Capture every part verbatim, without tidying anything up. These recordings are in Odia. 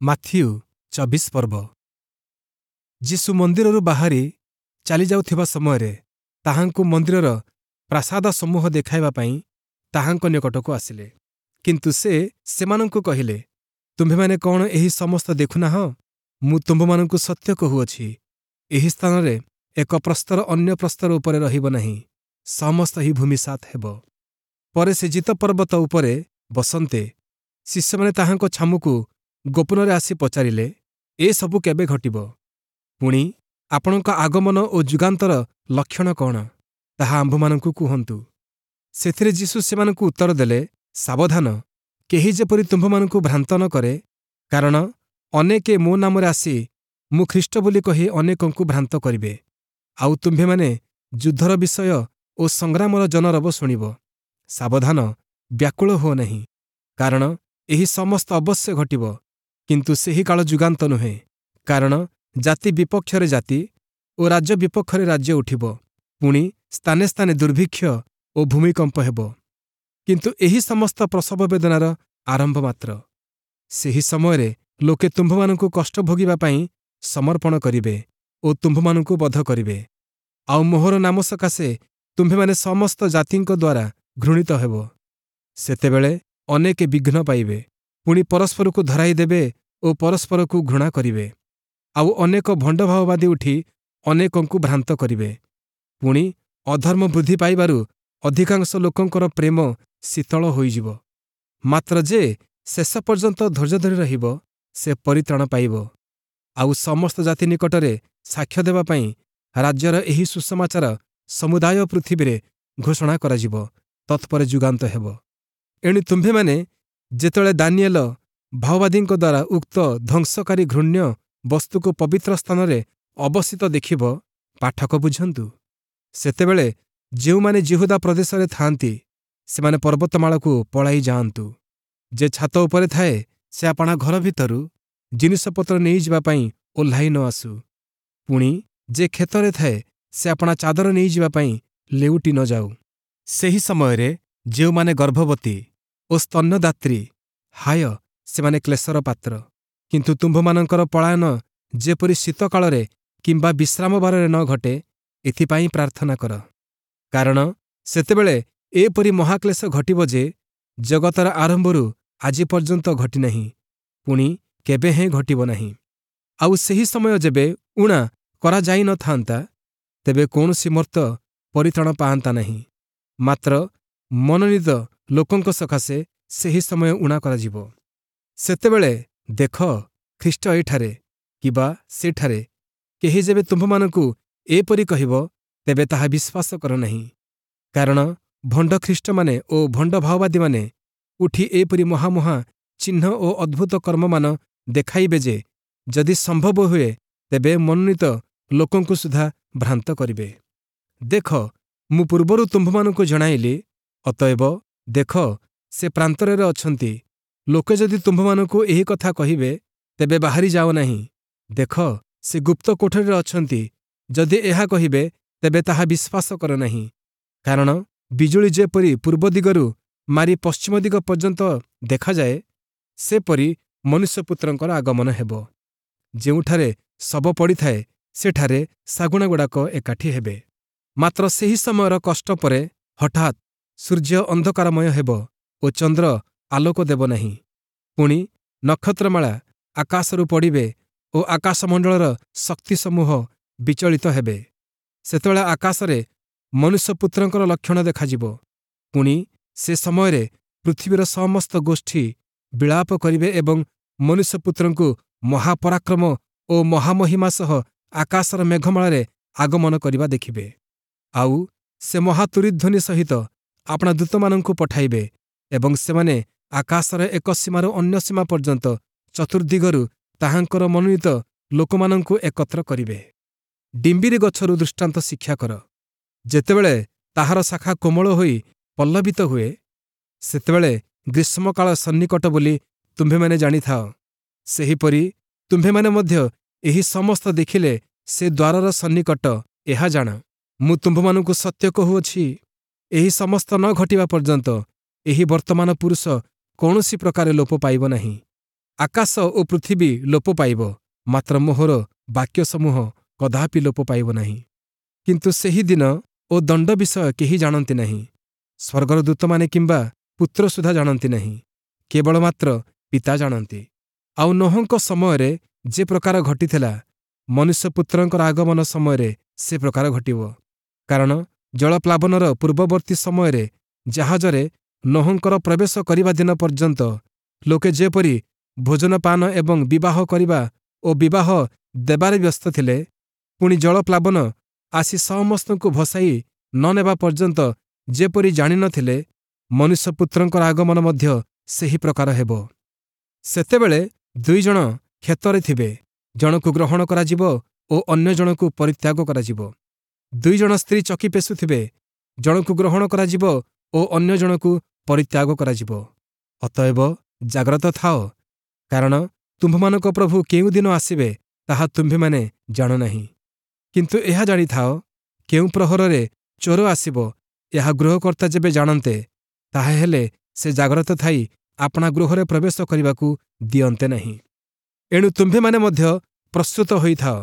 ମାଥିଉ ଚବିଶ ପର୍ବ ଯୀଶୁ ମନ୍ଦିରରୁ ବାହାରି ଚାଲିଯାଉଥିବା ସମୟରେ ତାହାଙ୍କୁ ମନ୍ଦିରର ପ୍ରାସାଦ ସମୂହ ଦେଖାଇବା ପାଇଁ ତାହାଙ୍କ ନିକଟକୁ ଆସିଲେ। କିନ୍ତୁ ସେ ସେମାନଙ୍କୁ କହିଲେ, ତୁମ୍ଭେମାନେ କ'ଣ ଏହି ସମସ୍ତ ଦେଖୁନାହଁ? ମୁଁ ତୁମ୍ଭମାନଙ୍କୁ ସତ୍ୟ କହୁଅଛି, ଏହି ସ୍ଥାନରେ ଏକ ପ୍ରସ୍ତର ଅନ୍ୟ ପ୍ରସ୍ତର ଉପରେ ରହିବ ନାହିଁ, ସମସ୍ତ ହିଁ ଭୂମିସାତ୍ ହେବ। ପରେ ସେ ଜିତ ପର୍ବତ ଉପରେ ବସନ୍ତେ ଶିଷ୍ୟମାନେ ତାହାଙ୍କ ଛାମୁକୁ ଗୋପନରେ ଆସି ପଚାରିଲେ, ଏସବୁ କେବେ ଘଟିବ? ପୁଣି ଆପଣଙ୍କ ଆଗମନ ଓ ଯୁଗାନ୍ତର ଲକ୍ଷଣ କ'ଣ, ତାହା ଆମ୍ଭମାନଙ୍କୁ କୁହନ୍ତୁ। ସେଥିରେ ଯୀଶୁ ସେମାନଙ୍କୁ ଉତ୍ତର ଦେଲେ, ସାବଧାନ, କେହି ଯେପରି ତୁମ୍ଭମାନଙ୍କୁ ଭ୍ରାନ୍ତ ନ କରେ, କାରଣ ଅନେକେ ମୋ ନାମରେ ଆସି ମୁଁ ଖ୍ରୀଷ୍ଟ ବୋଲି କହି ଅନେକଙ୍କୁ ଭ୍ରାନ୍ତ କରିବେ। ଆଉ ତୁମ୍ଭେମାନେ ଯୁଦ୍ଧର ବିଷୟ ଓ ସଂଗ୍ରାମର ଜନରବ ଶୁଣିବ। ସାବଧାନ, ବ୍ୟାକୁଳ ହୁଅ ନାହିଁ, କାରଣ ଏହି ସମସ୍ତ ଅବଶ୍ୟ ଘଟିବ, କିନ୍ତୁ ସେହି କାଳ ଯୁଗାନ୍ତ ନୁହେଁ। କାରଣ ଜାତି ବିପକ୍ଷରେ ଜାତି ଓ ରାଜ୍ୟ ବିପକ୍ଷରେ ରାଜ୍ୟ ଉଠିବ, ପୁଣି ସ୍ଥାନେ ସ୍ଥାନେ ଦୁର୍ଭିକ୍ଷ ଓ ଭୂମିକମ୍ପ ହେବ। କିନ୍ତୁ ଏହି ସମସ୍ତ ପ୍ରସବ ବେଦନାର ଆରମ୍ଭ ମାତ୍ର। ସେହି ସମୟରେ ଲୋକେ ତୁମ୍ଭମାନଙ୍କୁ କଷ୍ଟ ଭୋଗିବା ପାଇଁ ସମର୍ପଣ କରିବେ ଓ ତୁମ୍ଭମାନଙ୍କୁ ବଧ କରିବେ, ଆଉ ମୋହର ନାମ ସକାଶେ ତୁମ୍ଭେମାନେ ସମସ୍ତ ଜାତିଙ୍କ ଦ୍ୱାରା ଘୃଣିତ ହେବ। ସେତେବେଳେ ଅନେକେ ବିଘ୍ନ ପାଇବେ, ପୁଣି ପରସ୍ପରକୁ ଧରାଇ ଦେବେ ଓ ପରସ୍ପରକୁ ଘୃଣା କରିବେ। ଆଉ ଅନେକ ଭଣ୍ଡଭାବବାଦୀ ଉଠି ଅନେକଙ୍କୁ ଭ୍ରାନ୍ତ କରିବେ। ପୁଣି ଅଧର୍ମ ବୃଦ୍ଧି ପାଇବାରୁ ଅଧିକାଂଶ ଲୋକଙ୍କର ପ୍ରେମ ଶୀତଳ ହୋଇଯିବ। ମାତ୍ର ଯେ ଶେଷ ପର୍ଯ୍ୟନ୍ତ ଧୈର୍ଯ୍ୟ ଧରି ରହିବ, ସେ ପରିତ୍ରାଣ ପାଇବ। ଆଉ ସମସ୍ତ ଜାତି ନିକଟରେ ସାକ୍ଷ୍ୟ ଦେବା ପାଇଁ ରାଜ୍ୟର ଏହି ସୁସମାଚାର ସମୁଦାୟ ପୃଥିବୀରେ ଘୋଷଣା କରାଯିବ, ତତ୍ପରେ ଯୁଗାନ୍ତ ହେବ। ଏଣୁ ତୁମ୍ଭେମାନେ ଯେତେବେଳେ ଦାନିଏଲ ଭାଓବାଦୀଙ୍କ ଦ୍ୱାରା ଉକ୍ତ ଧ୍ୱଂସକାରୀ ଘୃଣ୍ୟ ବସ୍ତୁକୁ ପବିତ୍ର ସ୍ଥାନରେ ଅବସ୍ଥିତ ଦେଖିବ, ପାଠକ ବୁଝନ୍ତୁ, ସେତେବେଳେ ଯେଉଁମାନେ ଯିହୁଦା ପ୍ରଦେଶରେ ଥାଆନ୍ତି, ସେମାନେ ପର୍ବତମାଳାକୁ ପଳାଇ ଯାଆନ୍ତୁ। ଯେ ଛାତ ଉପରେ ଥାଏ, ସେ ଆପଣା ଘର ଭିତରୁ ଜିନିଷପତ୍ର ନେଇଯିବା ପାଇଁ ଓହ୍ଲାଇ ନ ଆସୁ। ପୁଣି ଯେ କ୍ଷେତରେ ଥାଏ, ସେ ଆପଣା ଚାଦର ନେଇଯିବା ପାଇଁ ଲେଉଟି ନ ଯାଉ। ସେହି ସମୟରେ ଯେଉଁମାନେ ଗର୍ଭବତୀ ଓ ସ୍ତନ୍ୟଦାତ୍ରୀ, ହାୟ, ସେମାନେ କ୍ଲେଶର ପାତ୍ର। କିନ୍ତୁ ତୁମ୍ଭମାନଙ୍କର ପଳାୟନ ଯେପରି ଶୀତକାଳରେ କିମ୍ବା ବିଶ୍ରାମବାରରେ ନ ଘଟେ, ଏଥିପାଇଁ ପ୍ରାର୍ଥନା କର। କାରଣ ସେତେବେଳେ ଏପରି ମହାକ୍ଲେଶ ଘଟିବ ଯେ ଜଗତର ଆରମ୍ଭରୁ ଆଜି ପର୍ଯ୍ୟନ୍ତ ଘଟିନାହିଁ, ପୁଣି କେବେ ହେଁ ଘଟିବ ନାହିଁ। ଆଉ ସେହି ସମୟ ଯେବେ ଊଣା କରାଯାଇନଥାନ୍ତା, ତେବେ କୌଣସି ମର୍ତ୍ତ୍ୟ ପରିତ୍ରାଣ ପାଆନ୍ତା ନାହିଁ। ମାତ୍ର ମନୋନୀତ ଲୋକଙ୍କ ସକାଶେ ସେହି ସମୟ ଊଣା କରାଯିବ। ସେତେବେଳେ ଦେଖ, ଖ୍ରୀଷ୍ଟ ଏଠାରେ କିବା ସେଠାରେ, କେହି ଯେବେ ତୁମ୍ଭମାନଙ୍କୁ ଏପରି କହିବ, ତେବେ ତାହା ବିଶ୍ୱାସ କର ନାହିଁ। କାରଣ ଭଣ୍ଡ ଖ୍ରୀଷ୍ଟମାନେ ଓ ଭଣ୍ଡ ଭାଓବାଦୀମାନେ ଉଠି ଏପରି ମହାମହା ଚିହ୍ନ ଓ ଅଦ୍ଭୁତ କର୍ମମାନ ଦେଖାଇବେ ଯେ ଯଦି ସମ୍ଭବ ହୁଏ, ତେବେ ମନୋନୀତ ଲୋକଙ୍କୁ ସୁଦ୍ଧା ଭ୍ରାନ୍ତ କରିବେ। ଦେଖ, ମୁଁ ପୂର୍ବରୁ ତୁମ୍ଭମାନଙ୍କୁ ଜଣାଇଲି। ଅତଏବ ଦେଖ, ସେ ପ୍ରାନ୍ତରରେ ଅଛନ୍ତି। ଲୋକେ ଯଦି ତୁମ୍ଭମାନଙ୍କୁ ଏହି କଥା କହିବେ, ତେବେ ବାହାରି ଯାଅ ନାହିଁ। ଦେଖ, ସେ ଗୁପ୍ତ କୋଠରୀରେ ଅଛନ୍ତି, ଯଦି ଏହା କହିବେ, ତେବେ ତାହା ବିଶ୍ୱାସ କର ନାହିଁ। କାରଣ ବିଜୁଳି ଯେପରି ପୂର୍ବ ଦିଗରୁ ମାରି ପଶ୍ଚିମ ଦିଗ ପର୍ଯ୍ୟନ୍ତ ଦେଖାଯାଏ, ସେପରି ମନୁଷ୍ୟପୁତ୍ରଙ୍କର ଆଗମନ ହେବ। ଯେଉଁଠାରେ ଶବ ପଡ଼ିଥାଏ, ସେଠାରେ ଶାଗୁଣାଗୁଡ଼ାକ ଏକାଠି ହେବେ। ମାତ୍ର ସେହି ସମୟର କଷ୍ଟ ପରେ ହଠାତ୍ ସୂର୍ଯ୍ୟ ଅନ୍ଧକାରମୟ ହେବ ଓ ଚନ୍ଦ୍ର ଆଲୋକ ଦେବ ନାହିଁ। ପୁଣି ନକ୍ଷତ୍ରମାଳା ଆକାଶରୁ ପଡ଼ିବେ ଓ ଆକାଶମଣ୍ଡଳର ଶକ୍ତିସମୂହ ବିଚଳିତ ହେବେ। ସେତେବେଳେ ଆକାଶରେ ମନୁଷ୍ୟପୁତ୍ରଙ୍କର ଲକ୍ଷଣ ଦେଖାଯିବ। ପୁଣି ସେ ସମୟରେ ପୃଥିବୀର ସମସ୍ତ ଗୋଷ୍ଠୀ ବିଳାପ କରିବେ ଏବଂ ମନୁଷ୍ୟପୁତ୍ରଙ୍କୁ ମହାପରାକ୍ରମ ଓ ମହାମହିମା ସହ ଆକାଶର ମେଘମାଳାରେ ଆଗମନ କରିବା ଦେଖିବେ। ଆଉ ସେ ମହାତୂରୀଧ୍ୱନି ସହିତ ଆପଣା ଦୂତମାନଙ୍କୁ ପଠାଇବେ ଏବଂ ସେମାନେ ଆକାଶର ଏକ ସୀମାରୁ ଅନ୍ୟ ସୀମା ପର୍ଯ୍ୟନ୍ତ ଚତୁର୍ଦ୍ଦିଗରୁ ତାହାଙ୍କର ମନୋନୀତ ଲୋକମାନଙ୍କୁ ଏକତ୍ର କରିବେ। ଡିମ୍ବିରି ଗଛରୁ ଦୃଷ୍ଟାନ୍ତ ଶିକ୍ଷା କର। ଯେତେବେଳେ ତାହାର ଶାଖା କୋମଳ ହୋଇ ପଲ୍ଲବିତ ହୁଏ, ସେତେବେଳେ ଗ୍ରୀଷ୍ମକାଳ ସନ୍ନିକଟ ବୋଲି ତୁମ୍ଭେମାନେ ଜାଣିଥାଅ। ସେହିପରି ତୁମ୍ଭେମାନେ ମଧ୍ୟ ଏହି ସମସ୍ତ ଦେଖିଲେ ସେ ଦ୍ୱାରର ସନ୍ନିକଟ, ଏହା ଜାଣ। ମୁଁ ତୁମ୍ଭମାନଙ୍କୁ ସତ୍ୟ କହୁଅଛି, ଏହି ସମସ୍ତ ନ ଘଟିବା ପର୍ଯ୍ୟନ୍ତ ଏହି ବର୍ତ୍ତମାନ ପୁରୁଷ କୌଣସି ପ୍ରକାରେ ଲୋପ ପାଇବ ନାହିଁ। ଆକାଶ ଓ ପୃଥିବୀ ଲୋପ ପାଇବ, ମାତ୍ର ମୋହର ବାକ୍ୟସମୂହ କଦାପି ଲୋପ ପାଇବ ନାହିଁ। କିନ୍ତୁ ସେହି ଦିନ ଓ ଦଣ୍ଡ ବିଷୟ କେହି ଜାଣନ୍ତି ନାହିଁ, ସ୍ୱର୍ଗର ଦୂତମାନେ କିମ୍ବା ପୁତ୍ର ସୁଦ୍ଧା ଜାଣନ୍ତି ନାହିଁ, କେବଳ ମାତ୍ର ପିତା ଜାଣନ୍ତି। ଆଉ ନୋହଙ୍କ ସମୟରେ ଯେ ପ୍ରକାର ଘଟିଥିଲା, ମନୁଷ୍ୟପୁତ୍ରଙ୍କର ଆଗମନ ସମୟରେ ସେ ପ୍ରକାର ଘଟିବ। କାରଣ ଜଳପ୍ଲାବନର ପୂର୍ବବର୍ତ୍ତୀ ସମୟରେ ଜାହାଜରେ ନୋହଙ୍କର ପ୍ରବେଶ କରିବା ଦିନ ପର୍ଯ୍ୟନ୍ତ ଲୋକେ ଯେପରି ଭୋଜନପାନ ଏବଂ ବିବାହ କରିବା ଓ ବିବାହ ଦେବାରେ ବ୍ୟସ୍ତ ଥିଲେ, ପୁଣି ଜଳପ୍ଲାବନ ଆସି ସମସ୍ତଙ୍କୁ ଭସାଇ ନ ନେବା ପର୍ଯ୍ୟନ୍ତ ଯେପରି ଜାଣିନଥିଲେ, ମନୁଷ୍ୟପୁତ୍ରଙ୍କର ଆଗମନ ମଧ୍ୟ ସେହି ପ୍ରକାର ହେବ। ସେତେବେଳେ ଦୁଇ ଜଣ କ୍ଷେତରେ ଥିବେ, ଜଣକୁ ଗ୍ରହଣ କରାଯିବ ଓ ଅନ୍ୟ ଜଣକୁ ପରିତ୍ୟାଗ କରାଯିବ। ଦୁଇ ଜଣ ସ୍ତ୍ରୀ ଚକି ପେଶୁଥିବେ, ଜଣକୁ ଗ୍ରହଣ କରାଯିବ ଓ ଅନ୍ୟ ଜଣକୁ ପରିତ୍ୟାଗ କରାଯିବ। ଅତଏବ ଜାଗ୍ରତ ଥାଅ, କାରଣ ତୁମ୍ଭମାନଙ୍କ ପ୍ରଭୁ କେଉଁଦିନ ଆସିବେ ତାହା ତୁମ୍ଭେମାନେ ଜାଣ ନାହିଁ। କିନ୍ତୁ ଏହା ଜାଣିଥାଅ, କେଉଁ ପ୍ରହରରେ ଚୋର ଆସିବ ଏହା ଗୃହକର୍ତ୍ତା ଯେବେ ଜାଣନ୍ତେ, ତାହାହେଲେ ସେ ଜାଗ୍ରତ ଥାଇ ଆପଣା ଗୃହରେ ପ୍ରବେଶ କରିବାକୁ ଦିଅନ୍ତେ ନାହିଁ। ଏଣୁ ତୁମ୍ଭେମାନେ ମଧ୍ୟ ପ୍ରସ୍ତୁତ ହୋଇଥାଅ,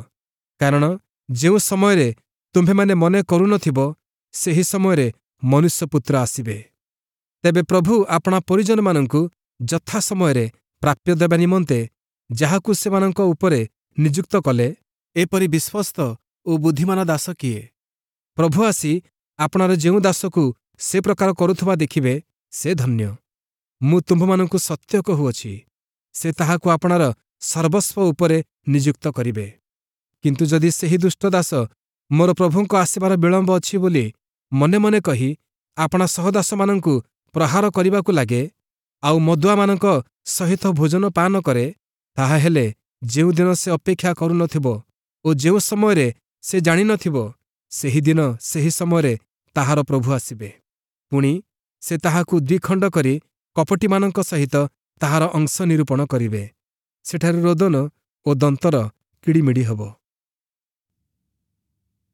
କାରଣ ଯେଉଁ ସମୟରେ ତୁମ୍ଭେମାନେ ମନେ କରୁନଥିବ, ସେହି ସମୟରେ ମନୁଷ୍ୟପୁତ୍ର ଆସିବେ। ତେବେ ପ୍ରଭୁ ଆପଣା ପରିଜନମାନଙ୍କୁ ଯଥା ସମୟରେ ପ୍ରାପ୍ୟ ଦେବା ନିମନ୍ତେ ଯାହାକୁ ସେମାନଙ୍କ ଉପରେ ନିଯୁକ୍ତ କଲେ, ଏପରି ବିଶ୍ୱସ୍ତ ଓ ବୁଦ୍ଧିମାନ ଦାସ କିଏ? ପ୍ରଭୁ ଆସି ଆପଣାର ଯେଉଁ ଦାସକୁ ସେ ପ୍ରକାର କରୁଥିବା ଦେଖିବେ, ସେ ଧନ୍ୟ। ମୁଁ ତୁମ୍ଭମାନଙ୍କୁ ସତ୍ୟ କହୁଅଛି, ସେ ତାହାକୁ ଆପଣାର ସର୍ବସ୍ୱ ଉପରେ ନିଯୁକ୍ତ କରିବେ। କିନ୍ତୁ ଯଦି ସେହି ଦୁଷ୍ଟ ଦାସ ମୋର ପ୍ରଭୁଙ୍କ ଆସିବାର ବିଳମ୍ବ ଅଛି ବୋଲି ମନେ ମନେ କହି ଆପଣା ସହଦାସମାନଙ୍କୁ ପ୍ରହାର କରିବାକୁ ଲାଗେ, ଆଉ ମଦୁଆମାନଙ୍କ ସହିତ ଭୋଜନ ପାନ କରେ, ତାହାହେଲେ ଯେଉଁଦିନ ସେ ଅପେକ୍ଷା କରୁନଥିବ ଓ ଯେଉଁ ସମୟରେ ସେ ଜାଣିନଥିବ, ସେହିଦିନ ସେହି ସମୟରେ ତାହାର ପ୍ରଭୁ ଆସିବେ। ପୁଣି ସେ ତାହାକୁ ଦ୍ୱିଖଣ୍ଡ କରି କପଟୀମାନଙ୍କ ସହିତ ତାହାର ଅଂଶ ନିରୂପଣ କରିବେ। ସେଠାରେ ରୋଦନ ଓ ଦନ୍ତର କିଡ଼ିମିଡ଼ି ହେବ।